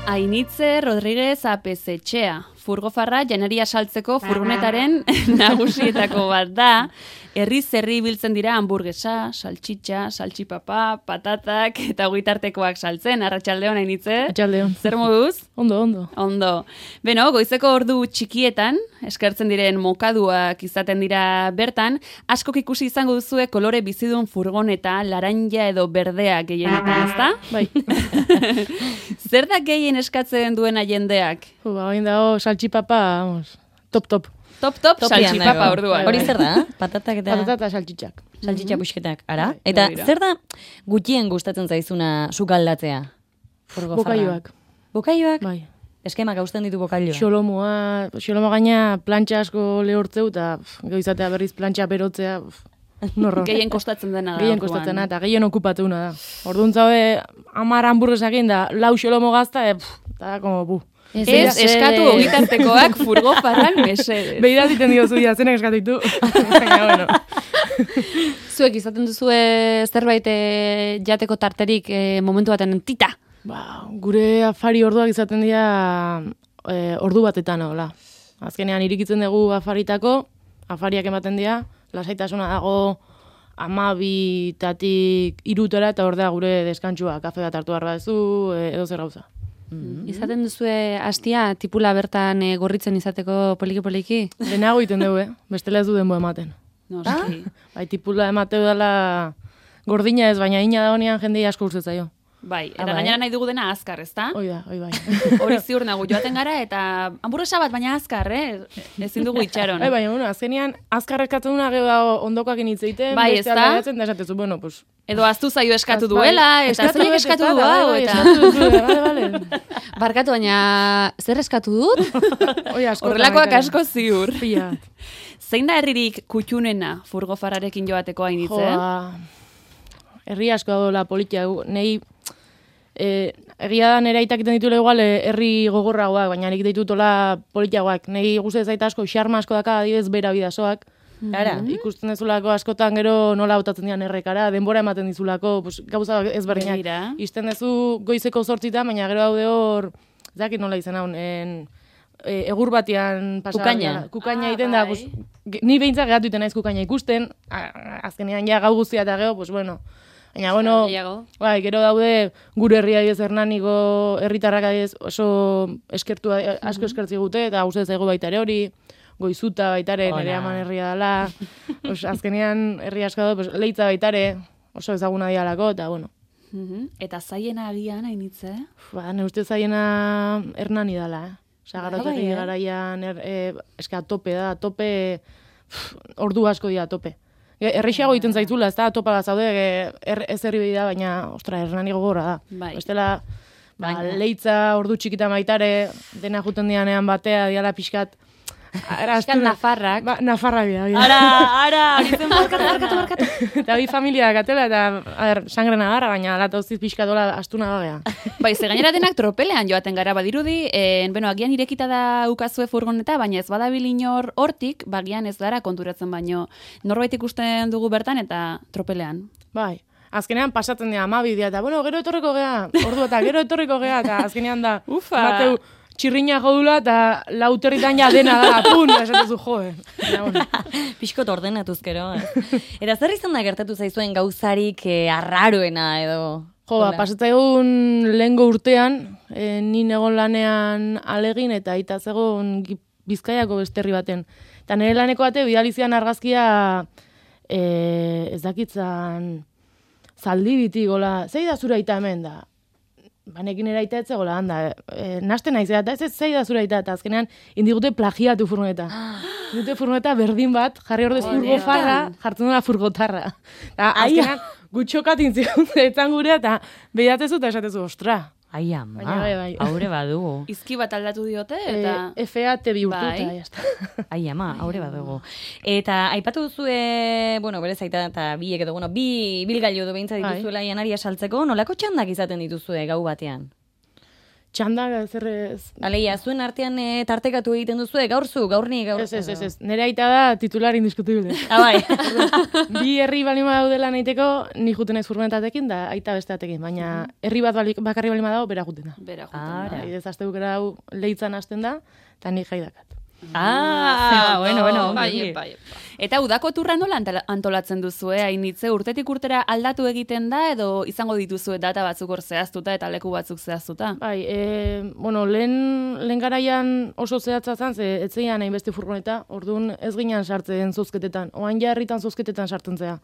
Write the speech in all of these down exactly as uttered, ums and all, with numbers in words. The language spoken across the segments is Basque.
Ainitze Rodríguez Apezetxea, furgofarra janaria saltzeko furgonetaren nagusietako bat da. Herriz herri biltzen dira hamburguesa, saltxitxa, saltxipapa, patatak eta ogitartekoak saltzen. Arratsaldeon Ainitze. Arratsaldeon. Zer moduz? Ondo, ondo. Ondo. Beno, goizeko ordu txikietan, eskertzen diren mokaduak izaten dira bertan, askok ikusi izango duzue kolore bizidun furgoneta, laranja edo berdea gehienetan, ezta? Bai. Zer da gehien eskatzen duena jendeak? Ba, hain dago saltxipapa, vamos, top, top. Top, top, saltxipapa orduan. Hori zer da? Patatak eta... Patata eta saltxitxak. Saltxitxa busketak, ara? Bai, Eta begira. zer da gutxien gustatzen zaizuna sukaldatzea? Furgofarra. Bokailuak. Bokailuak? Bai. Eskemak hausten ditu bokailoa. Xolomoa, xolomo gaina plantxa asko lehortzeu, eta pff, goizatea berriz plantxa berotzea, pff, norro. Gehien kostatzen dena da. Gehien orduan. kostatzen da, eta gehien okupateuna da. Orduan zabe, amar hamburguesakin da, lau xolomo gazta, e, pff, eta da, como, bu. Ez, eskatu ogitartekoak furgofarran mesedez. Beira ziten diozu, ja, zenek eskatu ditu. Baina, bueno. Zuek izaten duzue zerbait eh, jateko tarterik eh, momentu baten tita. Ba, gure afari orduak izaten dira e, ordu batetan, hola. Azkenean irikitzen dugu afaritako, afariak ematen dira, lasaitasuna dago amabitatik irutora, eta hor da gure deskantsua, kafe bat hartu behar baduzu, e, edo zer gauza. Izaten duzue hastia tipula bertan eh, gorritzen izateko poliki-poliki? Lehenago egiten dugu, eh? Bestela ez du denbo ematen. Noski. Bai, tipula emateu dela gordina ez, baina ina da honean jendei asko urtez zaio. Bai, eta Ah, bai. gainera nahi dugu dena azkar, ezta? Hoi da, hoi bai. Hori ziur nago joaten gara, eta hamburguesa bat, baina azkar, eh? Ezin dugu itxaron. Bai, baina, bueno, azkenean, azkar eskatzen duna gero dago ondokoak initzeiten, Bai, beste ezta? aldatzen, da esatezu, bueno, pues... Edo aztu zaio eskatu Bai, duela, eta eskatu zeinek dut, eskatu ez du da, hau, bai, eta... eskatu duzu, bale, bale. Barkatu, baina zer eskatu dut? Oi, asko. Horrelakoak asko ziur. Pila. Zein da herririk kutxunena furgofarrarekin joateko Ainitze? Joa, herri asko dago la politia. Nei, eh, egia da nire aitak iten ditule igual eh, herri gogorragoak, baina nik ditutola politiagoak. Nei guzti zaita asko, xarma asko daka adibidez bera bidasoak. Ara, Ikusten dezulako askotan gero nola hautatzen dian errekara, denbora ematen dizulako, pues, gauza ezberdinak. Begira. Isten dezu goizeko zortzitan, baina gero daude hor, ez dakit nola izan haun, en, e, egur batian pasa. Kukaina. Kukaina Ah, egiten da, bai. pues, ge- ni behintzat geratu iten naiz kukaina ikusten, a- azkenean ja gau guztia eta gero, pues bueno, baina bueno, Gehiago. bai, gero daude gure herria adibidez Hernaniko herritarrak adibidez oso eskertu asko eskertzi gute eta gustatzen zaigu baita ere hori. Goizuta baitare, Hola. nire aman herria dela, os, azkenean herri asko da, pues, leitza baitare, oso ezaguna dialako, eta bueno, Mhm. Eta zaiena agian Ainitze? ba, ne uste zaiena Hernani dela, eh? Osa, garotegi bai, eh? garaian, er, e, eska tope da, tope, pff, ordu asko dira tope. E, Errexeago egiten zaitzula, ez da, topa bat zaude, e, er, ez herri behi da, baina, ostra, Hernani gogorra da. Bai. Bestela, ba, Baina. leitza, ordu txikita baitare, dena juten dianean batea, diala pixkat, Ara, Euskal astuna- nafarrak. Ba, nafarrak dira. dira. Ara, ara, hori zen barkatu, barkatu, barkatu. Eta bi familia gatela, eta, a ber, sangre nagarra, baina lata uztiz pixkatola astuna bagea. Bai, ze gainera denak tropelean joaten gara badirudi, en, bueno, agian irekita da ukazue furgoneta, baina ez badabil inor hortik, bagian ez gara konturatzen baino. Norbait ikusten dugu bertan eta tropelean. Bai. Azkenean pasatzen dira amabi dira, eta, bueno, gero etorriko gea, ordu eta gero etorriko gea, eta azkenean da, Ufa. bateu, txirrina jodula, eta lauterritan ja dena da, pun, esatezu, joe. Eta, bueno. pixkot ordenatuz gero. Eh? Eta zer izan da gertatu zaizuen gauzarik eh, arraroena edo... Jo, ba, Hola. pasatzaigun lehengo urtean, e, ni egon lanean alegin, eta aita zegoen Gi- Bizkaiako beste herri baten. Eta nire laneko bate, bidalizian argazkia, e, ez dakitzan, zaldibitik, gola, zei da zura aita hemen da? Banekin eraita etze gola, handa, e, naste naiz, eta ez ez zei da zura aita, eta azkenean indigute plagiatu furgoneta. Indute furgoneta berdin bat, jarri ordez furgofarra, jartzen dela furgotarra. Eta azkenean, gutxokatin zigun etzan gurea, eta behiatezu eta esatezu, ostra. Ai, ama, Baina bai, bai. haure badugu. Izki bat aldatu diote, eta... E, F A te bihurtu, Bai. eta jazta. Ai, ama, haure badugu. Eta aipatu duzue, bueno, bere zaita eta biek edo, bueno, bi bilgailu edo behintzat Bai. dituzuela janaria saltzeko, nolako txandak izaten dituzue gau batean? txanda, zer ez... Aleia, zuen artean e, tartekatu egiten duzu, gaur zu, gaur ni, gaur... Ez, ez, ez, ez. Nire aita da titular indiskutible. Ah, bai. Bi herri balima daudela nahiteko, ni juten ez furgonetatekin, da aita besteatekin, baina herri bat bali, bakarri balima dago, bera juten da. Bera juten Ah, da. Ez azte bukera hau lehitzan hasten da, eta ni jai dakat. Ah, bueno, bueno. Bai, ongi. bai, bai. Eta udako turra nola antala- antolatzen duzu, eh? Hainitze, urtetik urtera aldatu egiten da, edo izango dituzue data batzuk hor zehaztuta eta leku batzuk zehaztuta? Bai, e, bueno, lehen, lehen garaian oso zehatza zen, ze etzeian hainbeste furgoneta, orduan ez ginen sartzen zozketetan, oain ja herritan zozketetan sartzen zea.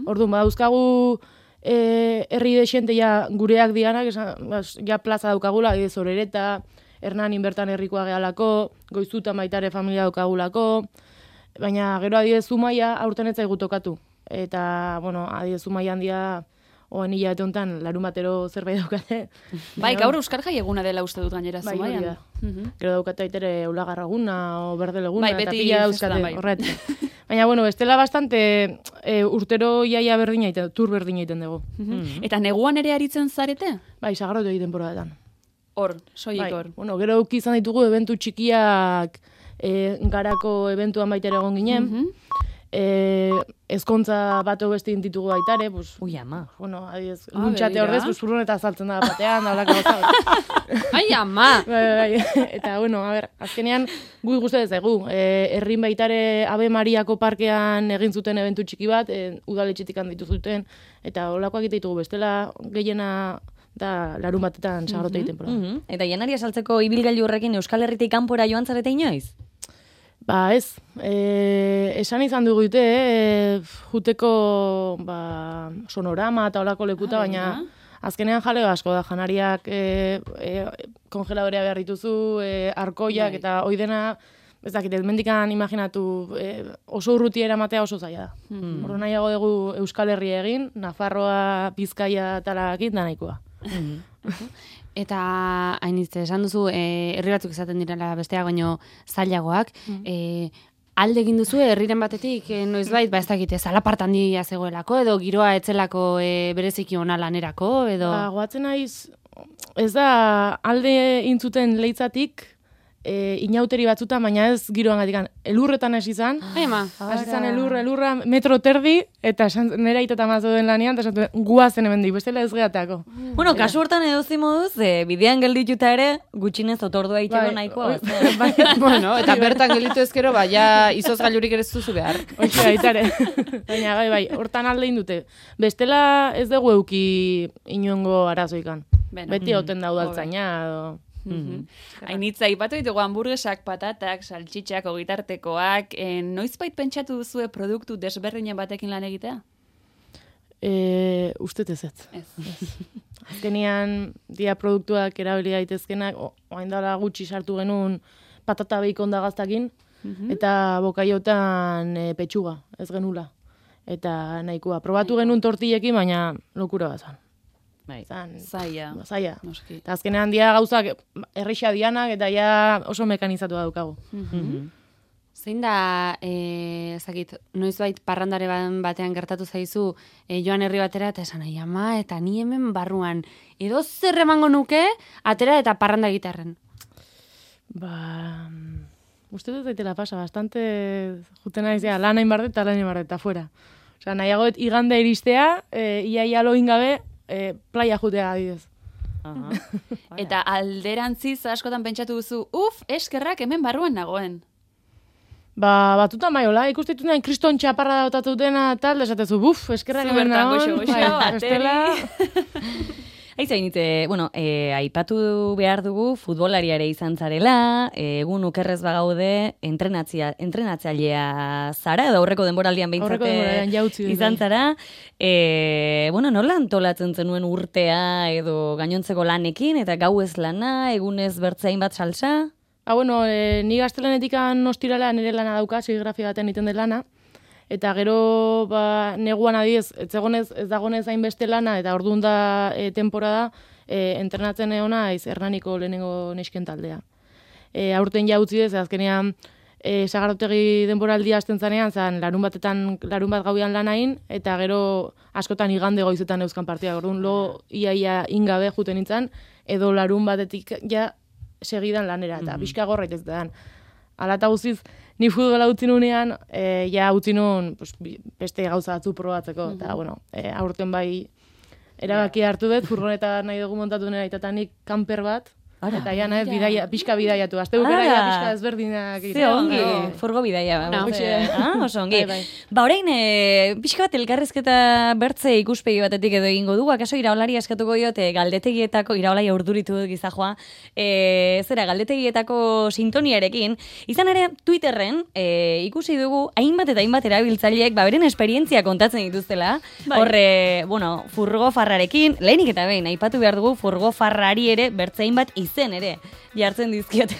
Orduan, badauzkagu e, herri desente ja gureak dianak, esan, bas, ja plaza daukagula, ez Orereta, Hernanin bertan herrikoa gehalako, Goizutan baitare familia daukagulako, baina gero adidez Zumaia aurten ez zaigu tokatu. Eta, bueno, adidez Zumaia handia, oan hilabete honetan, larun batero zerbait daukate. Bai, gaur Euskal Jai eguna dela uste dut gainera Bai, hori Zumaian. da. Mhm. Gero daukate aitere ulagarraguna o berdeleguna, Bai, eta beti pila festan, dauzkate, bai. horret. Baina, bueno, bestela bastante e, urtero iaia berdina egiten, tur berdina egiten dugu. Mhm. Eta neguan ere aritzen zarete? Bai, sagarrotu egiten temporadetan. Hor, soilik Bai, hor. bueno, gero uki izan ditugu eventu txikiak e, garako eventuan baitera egon ginen. Mhm. e, ezkontza bat beste ditugu baitare, pues, Ui, ama. bueno, adiez, Ah, luntxate begira. horrez, pues, furgoneta saltzen da batean, da holako gauza. Ai, ama! Bai, bai, bai. Eta, bueno, a ber, azkenean, gu gustatzen zaigu. E, herrin baitare Ave Mariako parkean egin zuten eventu txiki bat, e, udaletxetik handitu zuten, eta holakoak egite ditugu bestela, gehiena da larun batetan sagarrote egiten pora. Mhm. Eta janaria saltzeko ibilgailu horrekin Euskal Herritik kanpora joan zarete inoiz? Ba ez, e, esan izan dugu dute, e, juteko ba, sonorama eta olako lekuta, Ah, baina begira. azkenean jale asko da, janariak e, e, kongeladorea behar dituzu, e, arkoiak Bai. eta oidena, ez dakit, ez mendikan imaginatu, e, oso urruti eramatea oso zaila da. Mhm. Horro nahiago dugu Euskal Herria egin, Nafarroa, Bizkaia talakin da nahikoa. Eta hainitze, esan duzu, e, herri batzuk izaten direla besteak baino zailagoak, e, alde egin duzu herriren batetik, e, noizbait, ba ez dakite, zalapartan handia zegoelako, edo giroa etzelako e, bereziki ona lanerako, edo... Ba, goatzen naiz, ez da alde intzuten leitzatik, e, inauteri batzutan, baina ez giroan gatikan, elurretan hasi izan, Ai, ama. hasi izan elurra, elurra, metro terdi, eta esan- nera iteta mazo den lanean, eta esan zuen, guazen hemen dik, bestela ez gehatako. Bueno, kasu hortan edozi moduz, e, bidean geldituta ere, gutxinez otordua itxeko nahikoa. oi- bazen. bai, Bueno, eta bertan gelditu ezkero, ba, ja izoz gailurik ere ez duzu behar. Hoxe baitare. Baina, bai, bai, hortan alde indute. Bestela ez dugu euki inongo arazoikan. Beno. Beti hauten da udaltzaina, edo... Mhm. Hainitza, ipatu ditugu hamburguesak, patatak, saltxitxak, ogitartekoak, e, noizbait pentsatu duzue produktu desberdinen batekin lan egitea? E, ustet ez ez. Ez. Azkenean, dia produktuak erabili daitezkenak, o- orain dela gutxi sartu genuen patata beikon da gaztakin, eta bokaiotan e, petxuga, ez genula. Eta nahikoa. Probatu genuen tortillekin, baina lokura bat zan. Bai. Zan, Zaila. zaila. Noski. Eta azkenean dia gauzak errisa dianak, eta ja oso mekanizatu daukagu. Zein da, e, ezakit, noizbait parrandare ban- batean gertatu zaizu, e, joan herri batera, eta esan nahi, ama, eta ni hemen barruan, edo zer emango nuke, atera eta parranda gitarren. Ba, mm, uste dut daitela pasa, bastante juten naiz, ja, lan hain bardet eta lan hain bardet, eta fuera. Osea, nahiagoet igande iristea, e, ia ia loin gabe, e, playa jutea adidez. Aha. Eta alderantziz askotan pentsatu duzu, uf, eskerrak hemen barruan nagoen. Ba, batutan bai, hola, ikustitu nahi kriston txaparra dautatu dena, tal, esatezu, buf, eskerrak Zu hemen bertan nagoen. goxo, goxo, bai, ateri. bestela, Aizainite, bueno, e, aipatu behar dugu futbolariare izan zarela, e, egun ukerrez bagaude entrenatzia, entrenatzailea zara, edo aurreko denboraldian Aurreko behintzate denboraldian jautzi dut, izan bai. zara. E, bueno, nola antolatzen zenuen urtea edo gainontzeko lanekin, eta gauez lana, egunez bertzein bat salsa? Ah, bueno, e, ni gaztelanetikan ostirala nire lana dauka, serigrafia baten egiten den lana, eta gero ba, neguan adiez, ez egonez, ez dagonez hainbeste lana, eta orduan da e, temporada, e, entrenatzen eona aiz Hernaniko lehenengo nesken taldea. E, aurten ja utzi dez, azkenean e, sagarrotegi denboraldia hasten zanean, zan larun batetan, larun bat gauian lanain, eta gero askotan igande goizetan euskan partidak, orduan lo ia ia ingabe juten nintzen, edo larun batetik ja segidan lanera, eta Mhm. pixka gorra itez da. Ala eta guztiz, ni futbola utzi nunean, e, ja utzi nun pues, bi- beste gauza batzu probatzeko, eta bueno, e, aurten bai erabakia hartu dut, furgoneta nahi dugu montatu nera itatanik kanper bat, Ara. eta ja nahi bidaia, pixka bidaiatu, azte bukera Ara. ja pixka ezberdinak Ze ongi, egiteko. furgo bidaia. No. Hoxe. Ah, oso ongi. Bai, bai. Ba, orain, e, pixka bat elkarrizketa bertze ikuspegi batetik edo egingo dugu, akaso iraolari eskatuko diote galdetegietako, iraolai orduritu dut gizajoa, e, zera, galdetegietako sintoniarekin, izan ere, Twitterren e, ikusi dugu, hainbat eta hainbat erabiltzaileek, ba, beren esperientzia kontatzen dituztela, Bai. horre, bueno, furgo farrarekin, lehenik eta behin, aipatu behar dugu, furgo farrari ere, bertze hainbat izen ere, jartzen dizkiote.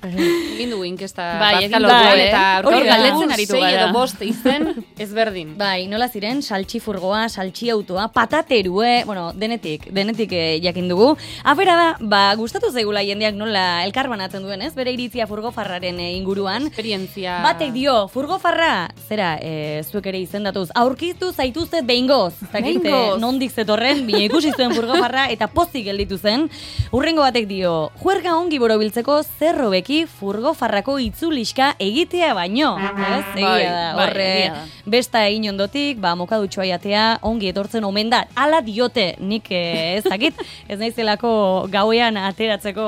Egin dugu inkesta Bai, egin bazkalotuan, dugu, eh? eta Hori gaur da. galdetzen aritu Sei gara. edo edo bost izen ezberdin. Bai, nola ziren, saltxi furgoa, saltxi autoa, pataterue, bueno, denetik, denetik eh, jakin dugu. Afera da, ba, gustatu zaigula jendeak nola elkarbanatzen duen, ez? Bere iritzia furgofarraren eh, inguruan. Esperientzia. Batek dio, furgofarra, zera, e, zuek ere izendatuz, aurkitu zaituztet behingoz. Zakit, eh, Behingoz. nondik zetorren, bine ikusi zuen furgofarra, eta pozik gelditu zen. Urrengo batek dio, juerga ongi borobiltzeko zerro beki furgofarrako itzuliska egitea baino. Ez? Egia Bai, da, bai, horre, egia da. besta egin ondotik, ba, mokadutxoa jatea, ongi etortzen omen da. Hala diote, nik eh, ez dakit, ez naizelako gauean ateratzeko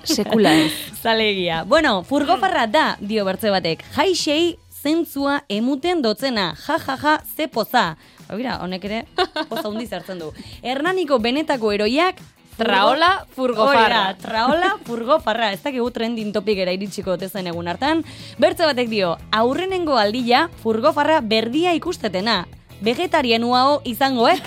Sekula ez. zalegia. Bueno, furgofarra da, dio bertze batek. Jaixei zentzua emuten dotzena, ja, ja, ja, ze poza. Ba, mira, honek ere, poza hundi zertzen du. Hernaniko benetako eroiak, Traola furgofarra. Hori da, traola furgofarra. Ez dakigu trending topikera iritsiko tezen egun hartan. Bertze batek dio, aurrenengo aldia furgofarra berdia ikustetena. Vegetarianuao izangoek.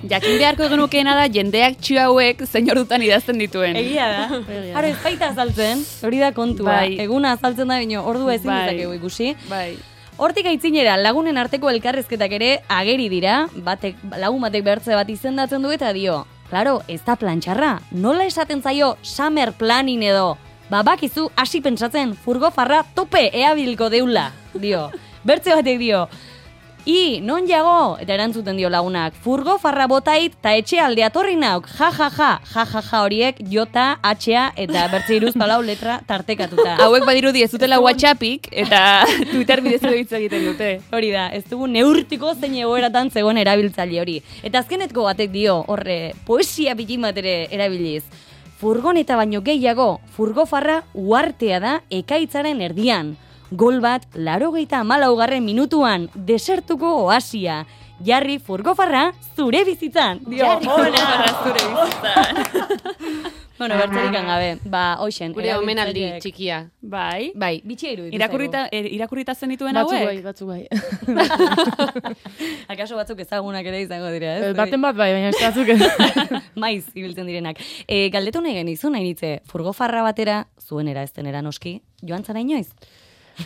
Jakin beharko genukeena da jendeak txu hauek zein ordutan idazten dituen. Egia da. Egia Haro ez baita azaltzen, hori da kontua. Bai. Eguna azaltzen da, bino, ordua ezin Bai. dezakegu ikusi. Bai. Hortik aitzinera, lagunen arteko elkarrezketak ere ageri dira, batek, lagun batek behartze bat izendatzen du eta dio, claro, ez da plantxarra, nola esaten zaio summer planning edo, babakizu hasi pentsatzen furgofarra tope eabilko deula, dio. Bertze batek dio, I, non jago? Eta erantzuten dio lagunak, furgofarra botait ta etxe alde atorri nauk, ja, ja, ja, ja, ja, ja horiek, jota, atxea, eta bertze iruz palau letra tartekatuta. Hauek badirudi ez dutela WhatsAppik eta Twitter bidez edo hitz egiten dute. Hori da, ez dugu neurtiko zein egoeratan zegoen erabiltzaile hori. Eta azkenetko batek dio, horre, poesia bitin bat ere erabiliz. Furgoneta baino gehiago, furgofarra uartea da ekaitzaren erdian. Gol bat, larogeita hamalaugarren minutuan, desertuko oasia. Jarri furgofarra zure bizitzan. Dio, Furgofarra zure bizitzan. bueno, bertzerik gabe, ba, hoxen. Gure omenaldi erabiltzaileek- txikia. Bai. Bai, bitxia iruditu Irakurrita, er, irakurrita zen dituen Batzuk hauek? bai, batzuk bai. Akaso batzuk ezagunak ere izango dira, ez? Eh, Baten bat bai, baina ez batzuk ez. Maiz ibiltzen direnak. E, galdetu nahi genizu nahi nitze, furgofarra batera, zuenera ez denera noski, joan zara inoiz?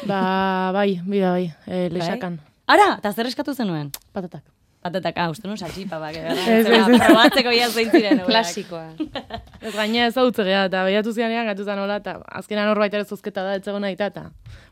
Ba, bai, bida bai, e, lexakan. Ara, eta zer eskatu zenuen? Patatak. Patatak, ah, uste nun saltxipa, bak, Ez, ez, ez. probatzeko ia zeintziren. Klasikoa. Ez gaina ez hau geha, eta behiatu zianean gatu zan hola, eta azkenan hor baita ere zozketa da, etzegona eta, eta,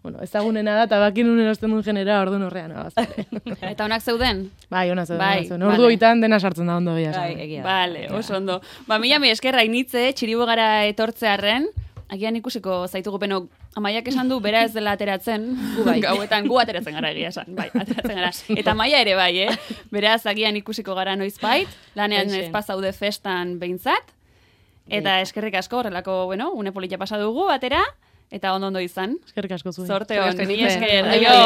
bueno, ezagunena da, eta bakin unen osten duen genera, ordu norrean, abazte. Eta onak zeuden? Bai, ona zeuden, Bai, ona zeuden. Ordu vale. oitan dena sartzen da ondo bila. Bai, egia. da. Vale, oso ondo. Ba, mila mi eskerra initze, txiribo gara etortzearren, agian ikusiko zaitugu penok, Amaiak esan du, bera ez dela ateratzen, gu bai. Gauetan gu ateratzen gara egia esan, bai, ateratzen gara. Eta Maia ere bai, eh? Beraz, agian ikusiko gara noizbait, lanean Hoxe. ez pasaude festan behintzat, eta eskerrik asko horrelako, bueno, une polita pasa dugu batera, eta ondo ondo izan. Eskerrik asko zuen. Sorte hon, Eskerrik asko, mila Initzen. esker, Bai, aio!